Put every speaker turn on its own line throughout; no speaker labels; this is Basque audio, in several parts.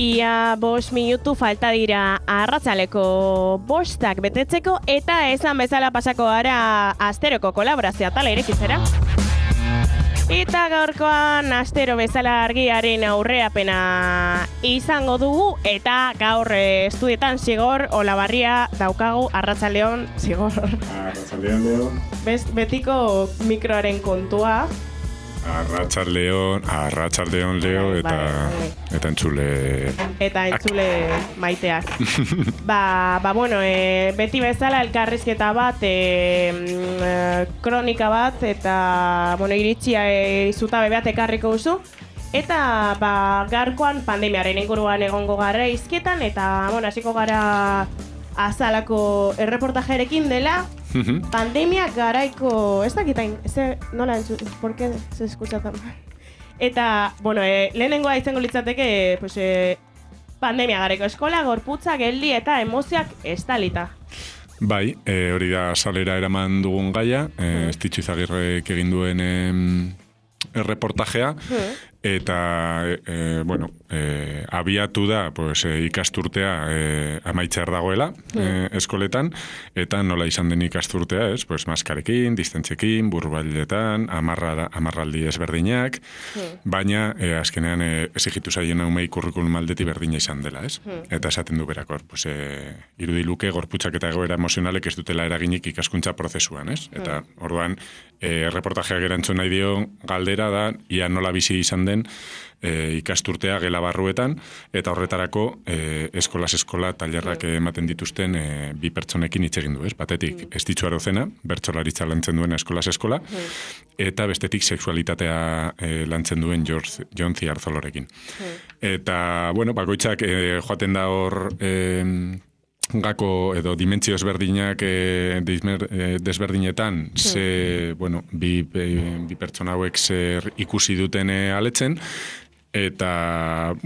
Ia 5 minutu falta dira arratsaldeko 5 betetzeko eta esan bezala pasako gara asteroko kolaborazioa tala irekitzera. Eta gaurkoan astero bezala argiaren aurreapena izango dugu eta gaur estudietan Zigor Olabarria daukagu. Arratsaldeon, Zigor.
Arratsaldeon, Leo.
Betiko mikroaren kontua.
Arratsaldeon, Leo, eta entzule...
Eta entzule maiteak. Bueno, beti bezala elkarrizketa bat, kronika bat, eta, iritsia zutabe bat ekarriko duzu. Eta, gaurkoan pandemiaren inguruan egongo gara izketan, eta, hasiko gara azalako erreportajerekin dela, pandemia garaiko, ez dakitain, nola entzut, ¿por qué se escucha tan mal? Eta, lehenengoa izango litzateke, pandemia garaiko eskola, gorputza, geldi eta emozioak estalita.
Bai, hori da salera eraman dugun gaia, Estitxu Izagirrek egin duen erreportajea, eta, abiatu da ikasturtea amaitzear dagoela eskoletan, eta nola izan den ikasturtea, maskarekin, distentziekin, burbailetan, amarraldi ezberdinak, baina azkenean exigitu zaien umei kurrikulum aldeti berdina izan dela, Eta esaten du berakor, irudiluke gorputzak eta egoera emozionalek ez dutela eraginik ikaskuntza prozesuan, Eta orduan, erreportajeak erantzun nahi dio galdera da, ia nola bizi izan den ikasturtea gela barruetan, eta horretarako eskolaz eskola tailerrak ematen dituzten bi pertsonekin hitz egin du, Batetik Estitxu Arozena, bertsolaritza lantzen duen eskolaz eskola, eta bestetik sexualitatea lantzen duen Jon Ziarzolorekin. Eta, bakoitzak joaten da hor gako edo dimentsio ezberdinak desberdinetan bi pertsona hauek zer ikusi duten aletzen. Eta,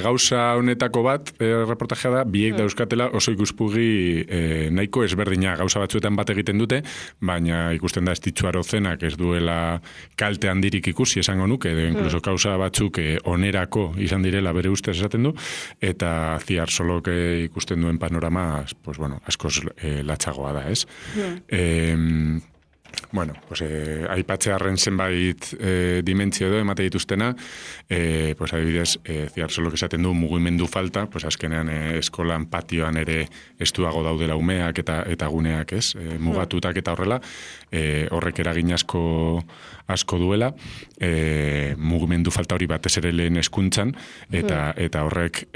gauza honetako bat, reportajea da, biek dauzkatela oso ikuspugi nahiko ezberdina. Gauza batzuetan bat egiten dute, baina ikusten da Estitxu Arozenak ez duela kalte handirik ikusi esango nuke, edo inkluso gauza batzuk onerako izan direla bere ustez esaten du, eta Ziarsolok ikusten duen panorama, askoz latxagoa da, ez? Aipatzearren zenbait dimentsio edo emate dituztena, adibidez, Ziarsolok esaten du mugimendu falta, azkenean eskolan patioan ere estuago daudela umeak eta guneak, mugatutak eta horrela, horrek eragin asko duela, mugimendu falta hori batez ere lehen hezkuntzan, eta horrek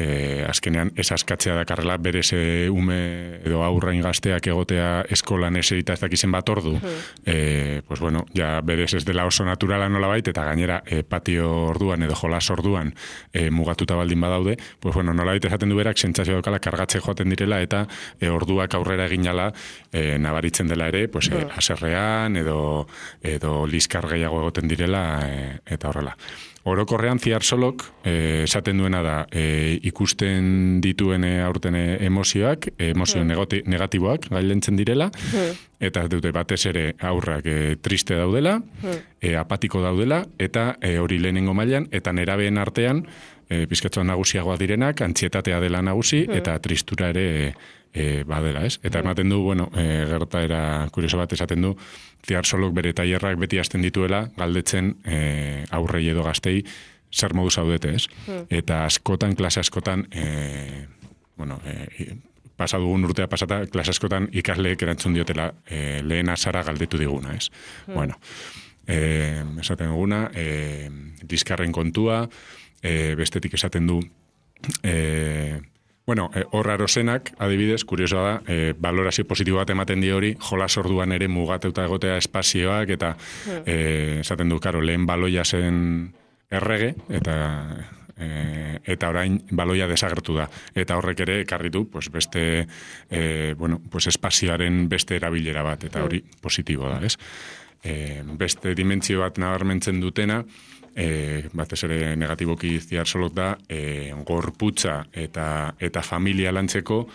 azkenean ez askatzea dakarrela berez ume edo aurrain gazteak egotea eskolan eserita ez dakizen bat ordu, ja berez ez dela oso naturala nolabait, eta gainera patio orduan edo jolas orduan mugatuta baldin badaude, nolabait esaten du berak sentsazio daukala kargatze joaten direla, eta orduak aurrera eginala nabaritzen dela ere, haserrean edo liskar gehiago egoten direla, eta horrela. Orokorrean Ziarsolok esaten duena da ikusten dituen aurten emozioak, emozio negatiboak gailentzen direla, eta dute batez ere aurrak triste daudela, apatiko daudela, eta hori lehenengo mailan, eta nerabeen artean, pizkatzuan nagusiagoa direnak, antzietatea dela nagusi, eta tristura ere badela, Eta ematen du, gertaera kurioso bat esaten du, Ziarsolok bere tailerrak beti hasten dituela, galdetzen aurrei edo gaztei zer modu zaudete, Eta klase askotan, pasa dugun urtea pasata, klase askotan ikasleek erantzun diotela lehen azara galdetu diguna, esaten duguna, liskarren kontua, bestetik esaten du, hor Arozenak, adibidez, kuriosoa da, valorazio positibo bat ematen di hori, jolas orduan ere mugatuta egotea espazioak, eta esaten du, lehen baloia zen errege, eta orain baloia desagertu da. Eta horrek ere ekarri du, beste, espazioaren beste erabilera bat, eta hori positibo da, Beste dimentsio bat nabarmentzen dutena, batez ere negatiboki ziarsolok da, gorputza eta familia lantzeko,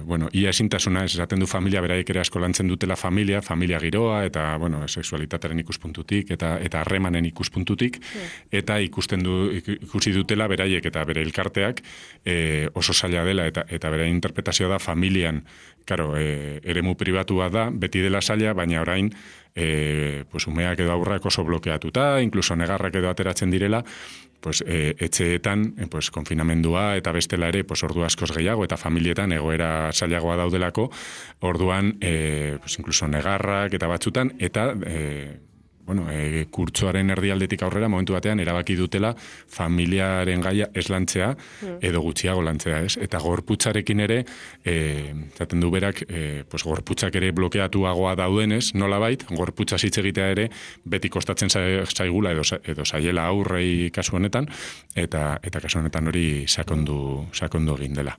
bueno, ia ezintasuna, esaten du familia, beraiek ere asko lantzen dutela familia giroa, eta, bueno, sexualitatearen ikuspuntutik, eta harremanen ikuspuntutik, eta ikusi dutela beraiek eta bere elkarteak oso zaila dela, eta bere interpretazioa da familian, karo, eremu pribatua da, beti dela zaila, baina orain, pues umeak edo aurrak oso blokeatuta, inkluso negarrak edo ateratzen direla, pues etxeetan, pues konfinamendua eta bestela ere, pues ordu askoz gehiago eta familietan egoera zailagoa daudelako, orduan, pues inkluso negarrak eta batzutan, eta bueno, kurtsoaren erdialdetik aurrera, momentu batean, erabaki dutela familiaren gaia ez lantzea, edo gutxiago lantzea, ez? Eta gorputzarekin ere, zaten du berak, pues gorputzak ere blokeatuagoa daudenez, nolabait, gorputza hitz egitea ere, beti kostatzen zaigula edo zaiela aurrei kasu honetan, eta kasu honetan hori sakondu egin dela.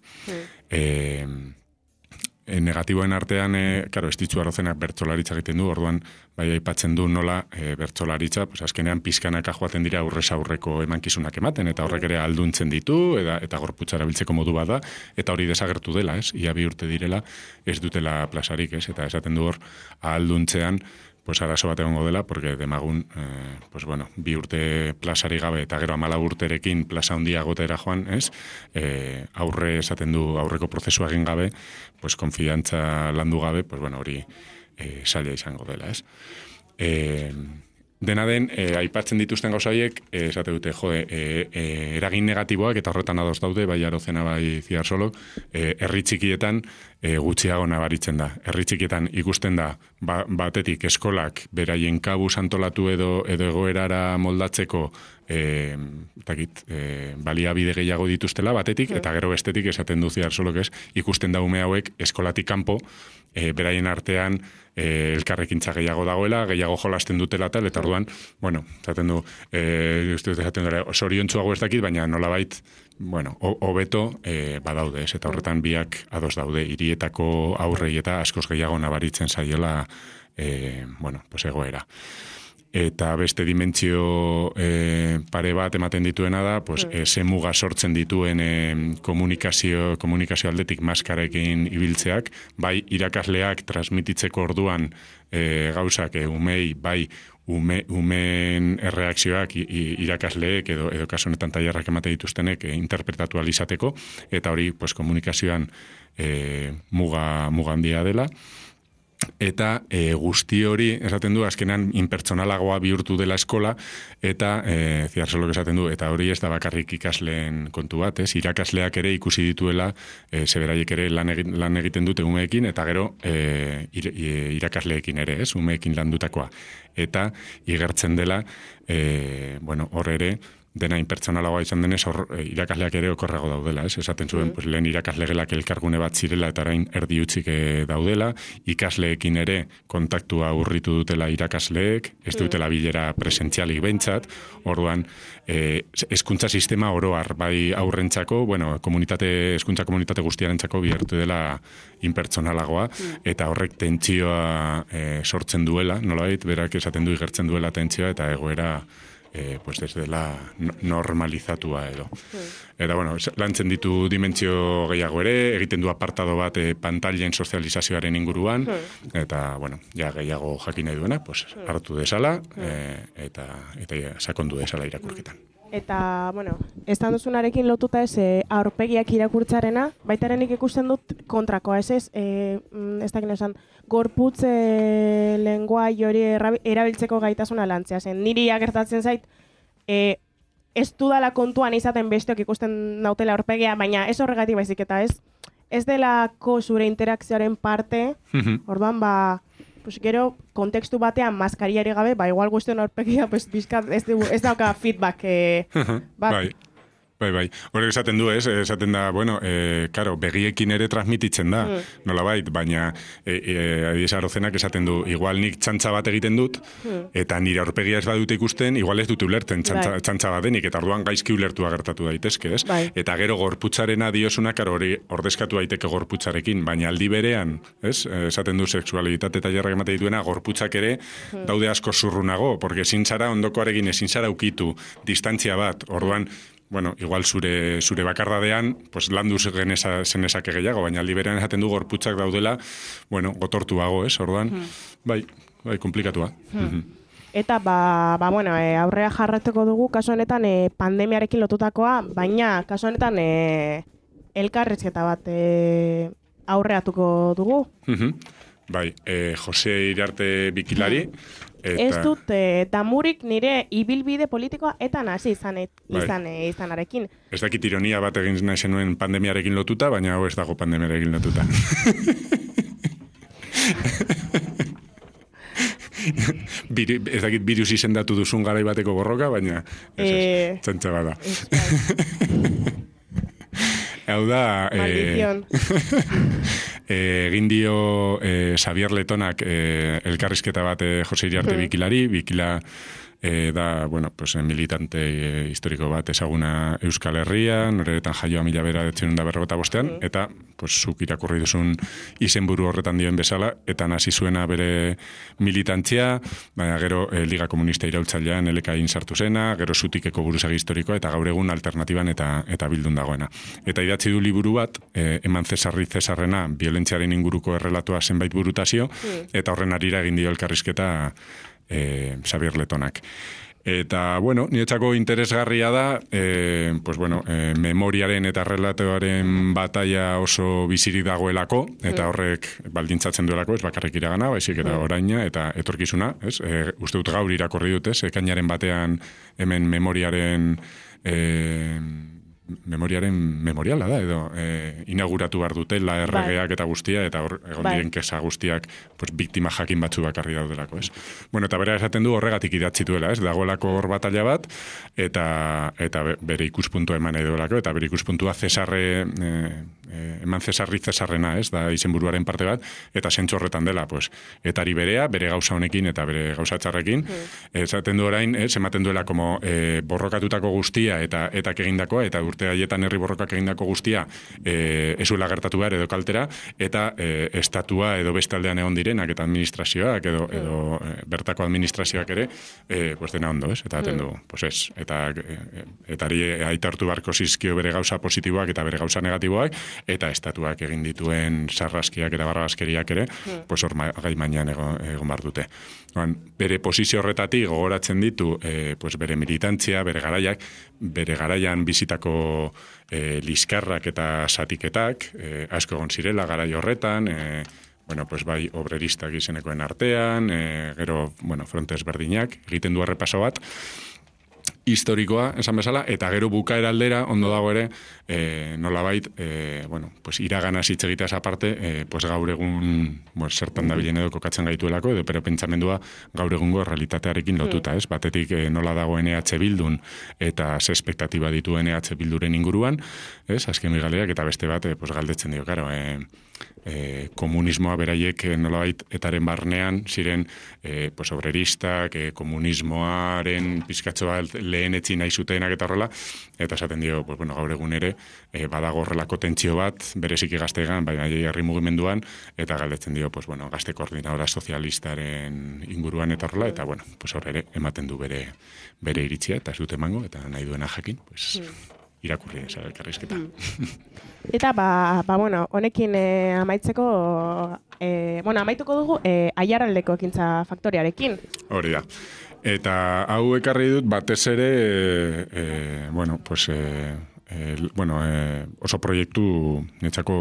Negatiboen artean, karo, Estitzu Arrozenak bertsolaritza egiten du, orduan bai aipatzen du nola bertsolaritza, pues azkenean pizkanaka joaten dira aurrez aurreko emankizunak ematen, eta horrek ere alduntzen ditu, eta gorputza erabiltzeko modu bada, eta hori desagertu dela, ez? Ia 2 urte direla, ez dutela plazarik, ez? Eta esaten du hor, alduntzean, pues arazo bat egongo dela, porque demagun, pues bueno, 2 urte plazari gabe, eta gero 14 urterekin plaza handia gotera joan, ez? Aurre esaten du, aurreko prozesua egin gabe, pues konfiantza landu gabe, pues bueno, hori zaila izango dela, ez? Dena den, aipatzen dituzten gauzaiek, esate dute, eragin negatiboak, eta horretan ados daude, bai Arozena, bai Ziarsolok, herri txikietan gutxiago nabaritzen da. Herri txikietan ikusten da, batetik eskolak beraien kabuz antolatu edo egoerara moldatzeko baliabide gehiago dituztela batetik, eta gero bestetik esaten du Ziarsolok ez, ikusten da ume hauek eskolatik kanpo, beraien artean elkarrekintza gehiago dagoela, gehiago jolasten dutela tal, eta orduan, bueno, esaten du, zoriontsuago ez dakit, baina nolabait, bueno, hobeto badaude, ez, eta horretan biak ados daude, hirietako aurrei eta askoz gehiago nabaritzen zaiola, bueno, pues egoera. Eta beste dimentsio pare bat ematen dituena da, pues, ze muga sortzen dituen komunikazio aldetik maskarekin ibiltzeak, bai irakasleak transmititzeko orduan gauzak umei, bai umeen erreakzioak irakasleek edo kasu honetan tailerrak emate dituztenek interpretatu alizateko, eta hori pues, komunikazioan muga handia dela. Eta guzti hori, esaten du, azkenan inpertsonalagoa bihurtu dela eskola, eta Ziarsolok esaten du, eta hori ez da bakarrik ikasleen kontu bat, ez? Irakasleak ere ikusi dituela, zeberaiek ere lan egiten dute umeekin, eta gero irakasleekin ere, ez? Umeekin landutakoa. Eta igertzen dela, bueno, hor ere, dena inpertsonalagoa izan denez, irakasleak ere okorrago daudela, ez? Esaten zuen, pues, lehen irakaslegelak elkargune bat zirela eta orain erdi utzik daudela, ikasleekin ere kontaktua urritu dutela irakasleek, ez dutela bilera presentzialik behintzat, orduan, hezkuntza sistema oroar, bai aurrentzako, bueno, hezkuntza komunitate guztiarentzako bihertu dela inpertsonalagoa, eta horrek tentsioa sortzen duela, nolabait, berak esaten du igertzen duela tentsioa, eta egoera pues desde la normalizatua edo. Eta, bueno, lantzen ditu dimentsio gehiago ere, egiten du apartado bat pantailen sozializazioaren inguruan, eta, bueno, ja gehiago jakin nahi duena, pues, hartu desala, eta sakondu desala irakurketan.
Eta, bueno, estan duzunarekin lotuta ez aurpegiak irakurtzarena, baitarenik ikusten dut kontrakoa, ez dakin esan, gorputz lenguai hori erabiltzeko gaitasuna lantzea zen. Niri agertatzen zait, ez dudala kontuan izaten besteok ikusten nautela aurpegia, baina ez horregatik baizik eta ez delako zure interakzioaren parte, orduan pues gero kontekstu batean maskariari gabe, igual guztion aurpegia, pues bizkat ez dauka feedback bat.
Bai. Bai. Horrek esaten du, esaten da, karo, begiekin ere transmititzen da, nolabait, baina adiez Arozenak esaten du, igual nik txantza bat egiten dut, eta nire aurpegia ez badute ikusten, igual ez dute ulerten txantza bat denik, eta orduan gaizki ulertua gertatu daitezke, ez?
Bai.
Eta gero gorputzarena diosuna, karo, hori ordezkatu daiteke gorputzarekin, baina aldi berean, ez? Esaten du sexualitate eta jarrak emate dituena, gorputzak ere daude asko zurrunago, porque ezin zara ondokoarekin ezin zara ukitu distantzia bat, orduan, igual zure bakardadean, pues landu zenezake gehiago, baina aldi berean esaten du gorputzak daudela, gotortuago, ez? Orduan, bai, komplikatua.
Eta, aurrea jarratuko dugu, kasu honetan pandemiarekin lotutakoa, baina kasu honetan elkarrizketa bat aurreatuko dugu.
Bai, Jose Iriarte Bikilari.
Ez dut damurik nire ibilbide politikoa eta nazi izanarekin.
Ez dakit ironia bat egin nahi zenuen pandemiarekin lotuta, baina hau ez dago pandemiarekin lotuta. Ez dakit virus izendatu duzun garai bateko borroka, baina txantxa bada. Hau da...
Maldizion.
Egin dio Xavier Letonak elkarrizketa bat Jose Iriarte Bikilari, Bikila da, militante historiko bat ezaguna Euskal Herrian, horretan jaioa 1945, eta zuk irakurri duzun izenburu horretan dioen bezala, eta hasi zuena bere militantzia, baina gero Liga Komunista iraultzailean elekain sartu zena, gero Zutikeko buruzagi historikoa, eta gaur egun alternatiban eta bildun dagoena. Eta idatzi du liburu bat, Eman Cesarri Cesarrena, violentziaren inguruko errelatoa zenbait burutazio, eta horren arira egin dio elkarrizketa Xavier Letonak. Eta, niretzako interesgarria da, memoriaren eta relatoaren bataia oso bizirik dagoelako, eta horrek baldintzatzen duelako, ez bakarrik iragana, baizik eta oraina, eta etorkizuna, ez? Uste dut gaur irakorri dut, ez? Ekainaren batean hemen memoriaren memoriala da, edo inauguratu behar dutela erregeak eta guztia, eta hor egon diren kesa guztiak biktima jakin batzu bakarri daudelako, ez? Eta bera esaten du horregatik idatzi duela, ez? Dagoelako hor batalla bat, eta bere ikuspuntua eman edo delako, eta bere ikuspuntua Eman Cesarri Cesarrena, ez? Da izenburuaren parte bat, eta zentzu horretan dela, etari berea, bere gauza honekin eta bere gauza txarrekin, esaten du orain, ematen duela como borrokatutako guztia eta egindakoa, eta urte haietan herri borrokak egindako guztia ezuela gertatu behar edo kaltera, eta estatua edo bestaldean egon direnak eta administrazioak edo bertako administrazioak ere dena ondo, ez? Eta aten du, ez. Eta aitartu barko zizkio bere gauza positiboak eta bere gauza negatiboak, eta estatuak egin dituen sarraskiak eta barrabaskeriak ere, hor gai mainan egon behar dute. Bere posizio horretatik gogoratzen ditu bere militantzia, bere garaian bizitako liskarrak eta satiketak, asko egon zirela garai horretan, bai obreristak izenekoen artean, gero, frontes berdinak, egiten du errepaso bat, historikoa, esan bezala, eta gero bukaera aldera, ondo dago ere, nolabait, iraganaz hitz egiteaz aparte, gaur egun, zertan dabilen edo kokatzen gaituelako, edo pero pentsamendua gaur egungo realitatearekin lotuta, ez? Batetik nola dagoen EH Bildun, eta ze espektatiba dituen EH Bilduren inguruan, ez? Azken galerak, eta beste bat, galdetzen dio, karo, komunismoa beraiek nolabait etaren barnean ziren obreristak, komunismoaren pizkatxo bat lehenetzi nahi zutenak eta horrela, eta esaten dio, gaur egun ere badago horrelako tentsio bat bereziki gazteegan, baina herri mugimenduan, eta galdetzen dio, gazte koordinadora sozialistaren inguruan eta horrela, eta hor ere ematen du bere iritzia, eta ez dut emango, eta nahi duena jakin, irakurri eza elkarrizketa.
Eta, honekin amaitzeko, amaituko dugu Aiaraldeko ekintza faktoriarekin.
Hori da. Eta hau ekarri dut batez ere, oso proiektu netzako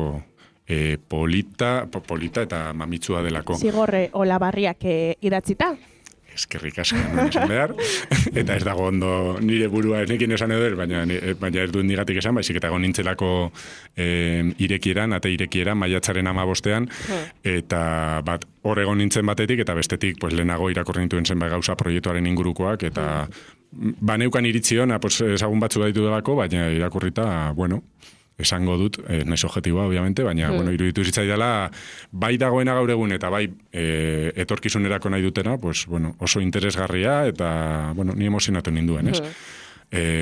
polita eta mamitsua delako.
Zigorre Olabarriak idatzita.
Eskerrik asko esan behar, eta ez dago ondo nire burua enekin esan edo, baina ez duen nigatik esan, baizik eta nintzelako irekieran, maiatzaren 15, eta hor egon nintzen batetik, eta bestetik lehenago irakurri nituen zenbait gauza proiektuaren ingurukoak, eta baneukan iritziona, pues, ezagun batzu daitu delako, baina irakurrita, bueno, esango dut, naiz objektiboa, obviamente, baina, bueno, iruditu zitzaidala, bai dagoena gaur egun, eta bai etorkizunerako nahi dutena, pues, bueno, oso interesgarria, eta, bueno, ni emozionatu ninduen, ez?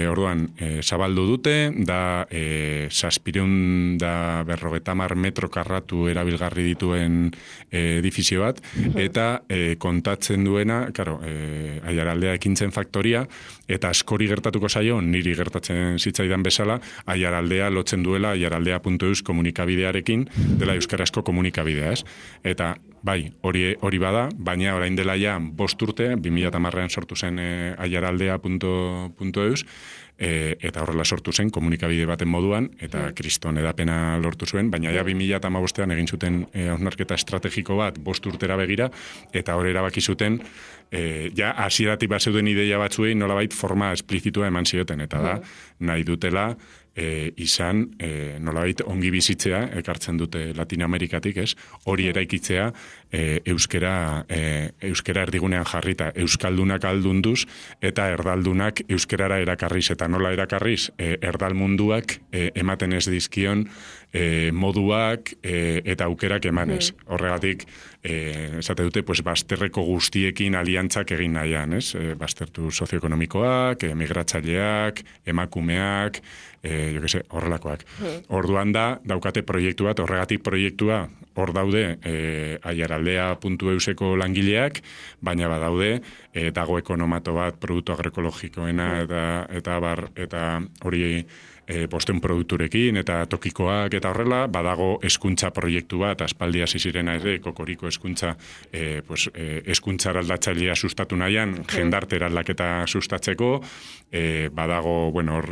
Orduan, zabaldu dute, da 750 metro karratu erabilgarri dituen edifizio bat, eta kontatzen duena, claro, Aiaraldea ekintzen faktoria, eta askori gertatuko zaio, niri gertatzen zitzaidan bezala, Aiaraldea lotzen duela aiaraldea.eus komunikabidearekin, dela euskarazko komunikabidea, ez? Eta, bai, hori bada, baina orain dela ja 5 urte, 2010an sortu zen aiaraldea.eus, eta horrela sortu zen komunikabide baten moduan, eta kriston edapena lortu zuen, baina ja 2015an egin zuten hausnarketa estrategiko bat 5 urtera begira, eta hor erabaki zuten, ja hasieratik bazeuden ideia batzuei nolabait forma esplizitua eman zioten, eta da, nahi dutela, izan nolabait ongi bizitzea, ekartzen dute Latinoamerikatik, ez? Hori eraikitzea euskera erdigunean jarrita, euskaldunak aldunduz eta erdaldunak euskerara erakarriz, eta nola erakarriz erdal munduak ematen ez dizkion moduak eta aukerak emanez. Horregatik, esate dute, pues, bazterreko guztiekin aliantzak egin nahian, ez? Baztertu sozioekonomikoak, migratzaileak, emakumeak, horrelakoak. Orduan daukate proiektu bat, horregatik proiektua hor daude aiaraldea.euseko langileak, baina badaude dago ekonomato bat produktu agroekologikoena eta hori posten produkturekin eta tokikoak eta horrela, badago hezkuntza proiektu bat, aspaldi hasi zirena ere, kokoriko hezkuntza, hezkuntza eraldatzailea sustatu nahian, jendarte eraldaketa sustatzeko, badago, bueno,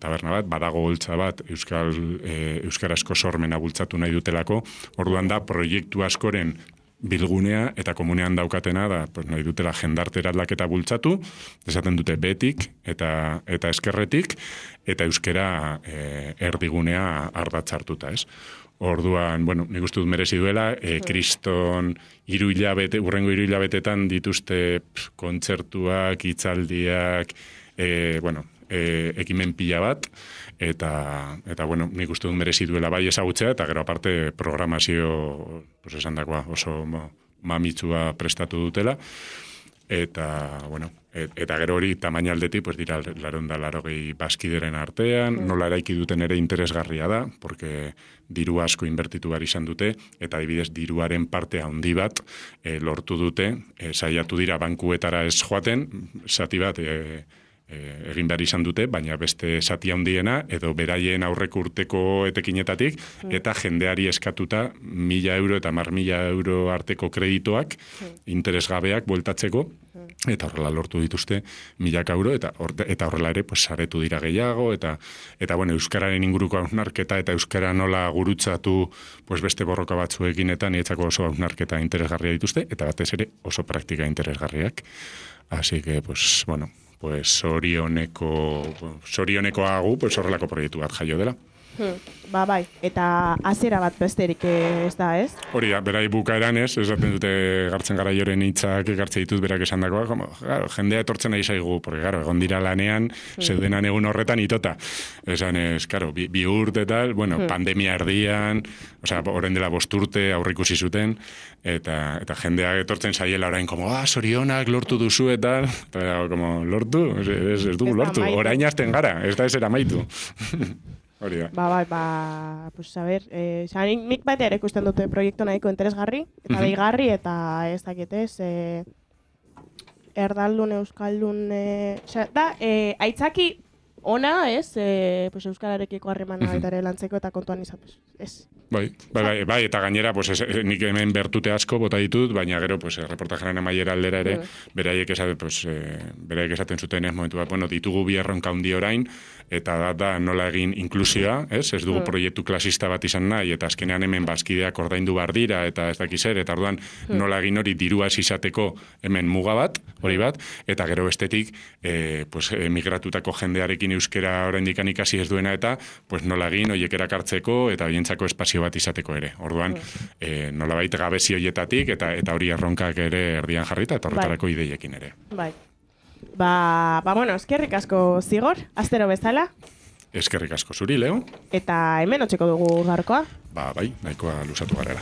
taberna bat, badago holtza bat, euskarazko sormena bultzatu nahi dutelako, orduan da proiektu askoren bilgunea eta komunean daukatena da, pues, nahi dutela jendarte eraldaketa bultzatu, esaten dute betik eta eskerretik, eta euskera erdigunea ardatzartuta, ez? Orduan, bueno, nik uste dut merezi duela, kriston urrengo 3 hilabetetan dituzte kontzertuak, hitzaldiak, ekimen pila bat, eta bueno, nik uste dut merezi duela bai ezagutzea, eta gero aparte programazio, pues, esan dakoa, oso mamitsua prestatu dutela, eta, bueno, eta gero hori tamaina aldetik, pues, dira 480 bazkideren artean, nola eraiki duten ere interesgarria da, porque diru asko inbertitu behar izan dute, eta adibidez diruaren parte handi bat lortu dute, saiatu dira bankuetara ez joaten, zati bat egin behar izan dute, baina beste zati handiena, edo beraien aurreko urteko etekinetatik, eta jendeari eskatuta 1.000 euro eta 10.000 euro arteko kreditoak, interesgabeak bueltatzeko, eta horrela lortu dituzte 1.000 euro, eta horrela ere, pues, saretu dira gehiago, eta bueno, euskararen inguruko hausnarketa, eta euskara nola gurutzatu, pues, beste borroka batzuekin, eta nietzako oso hausnarketa interesgarria dituzte, eta batez ere oso praktika interesgarriak. Así que, pues, bueno, pues sorioneko agu, pues, horrelako proiektu bat jaio dela.
Bai, eta hasiera bat besterik ez da, ez?
Hori da, berai bukaeran ez, esaten dute Gartzen Garaioren hitzak ekartze ditut berak esandakoa, como, claro, jendea etortzen nahi zaigu, porque, claro, egon dira lanean, zeudenan egun horretan itota. Esan ez, claro, bi urte tal, bueno, pandemia erdian, osea, orain dela 5 urte aurreikusi zuten, eta jendea etortzen zaiela orain, como, sorionak lortu duzu eta, como, lortu? Ez dugu lortu, orain hasten gara, ez da ez eramaitu. Hori da.
Pues a ver, nik baita ere ikusten dute proiektu nahiko interesgarri, eta deigarri, eta ez dakitez, erdaldun, euskaldun, da, aitzaki ona, ez, pues euskararekiko harremana baita ere lantzeko eta kontuan izatuz, ez.
Bai, eta gainera, pues, nik hemen bertute asko bota ditut, baina gero, pues, reportajaren amaiera aldera ere, beraiek esaten zuten ez momentu bat, bueno, ditugu bi erronka handi orain, eta da nola egin inklusioa, ez dugu proiektu klasista bat izan nahi, eta azkenean hemen bazkideak ordaindu behar dira, eta ez dakiz ere, eta orduan nola egin hori dirua izateko hemen muga bat, hori bat, eta gero bestetik, pues, migratutako jendearekin euskera oraindik ikasi ez duena, eta pues, nola egin horiek erakartzeko, eta horientzako espazio bat izateko ere. Orduan, nolabait gabezi horietatik, eta hori erronkak ere erdian jarrita, eta horretarako ideiekin ere.
Bai. Bueno, eskerrik asko Zigor, astero bezala.
Eskerrik asko zuri, Leo.
Eta hemen otsiko dugu gaurkoa.
Bai, nahikoa lusatu garela.